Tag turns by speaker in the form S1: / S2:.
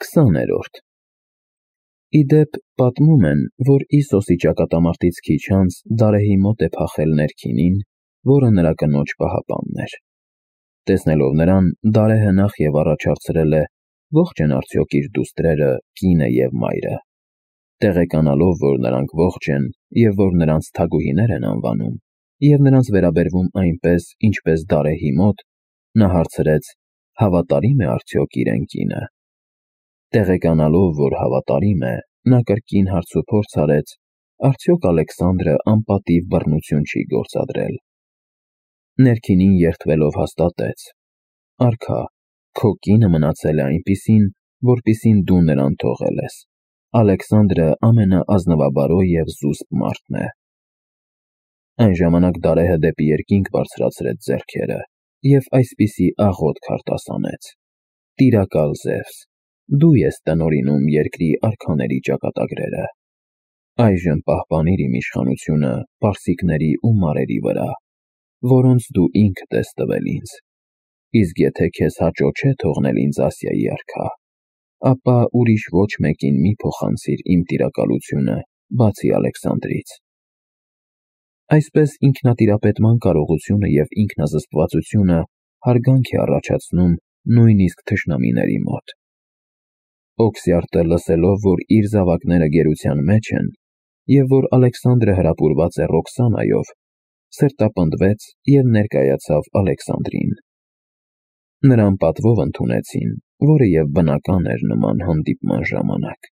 S1: 20-րդ Ի դեպ, պատմում են, որ Իսոսի ճակատամարտից քիչ անց Դարեհի մոտ է փախել ներքինին, որը նրա կնոջ պահապանն էր։ Տեսնելով նրան, Դարեհը նախ և առաջ հարցրել է. ողջ են արդյոք իր դուստրերը, կինը և մայրը։ Տեղեկանալով, որ նրանք ողջ են և որ նրանց թագուհիներ են անվանում, և նրանց վերաբերվում այնպես, ինչպես Դարեհի մոտ, նա հարցրեց. հավատարի՞մ է արդյոք իրեն կինը։ Տեղեկանալով, որ հավատարիմ է, նա կրկին հարցուփորձ արեց, արդյոք Ալեքսանդրը անպատիվ բռնություն չի գործադրել։ Ներքինին երդվելով հաստատեց. Արքա, քո կինը մնացել է այնպիսին, որպիսին դու նրան թողել ես։ Ալեքսանդրը ամենաազնվաբարո և զուսպ մարդն է։ Այն ժամանակ Դարեհը դեպի երկինք բարձրացրեց ձեռքերը և այսպիսի աղոթք արտասանեց. Տիրակալ Զևս, դու ես տնօրինում երկրի արքաների ճակատագրերը։ Այժմ պահպանիր իմ իշխանությունը պարսիկների ու մարերի վրա, որոնց դու ինքդ ես տվել ինձ։ Իսկ եթե քեզ հաճո չէ թողնել ինձ Ասիայի արքա, ապա ուրիշ ոչ մեկին մի փոխանցիր իմ տիրակալությունը, բացի Ալեքսանդրից։ Այսպես ինքնատիրապետման կարողությունը և ինքնազսպվածությունը հարգանք է առաջացնում նույնիսկ թշնամիների մոտ։ Օքսիարտը լսելով, որ իր զավակները գերության մեջ են, և որ Ալեքսանդրը հրապուրված է Ռոքսանայով, սրտապնդվեց և ներկայացավ Ալեքսանդրին։ Նրան պատվով ընդունեցին, որը և բնական էր նման հանդիպման ժամանակ։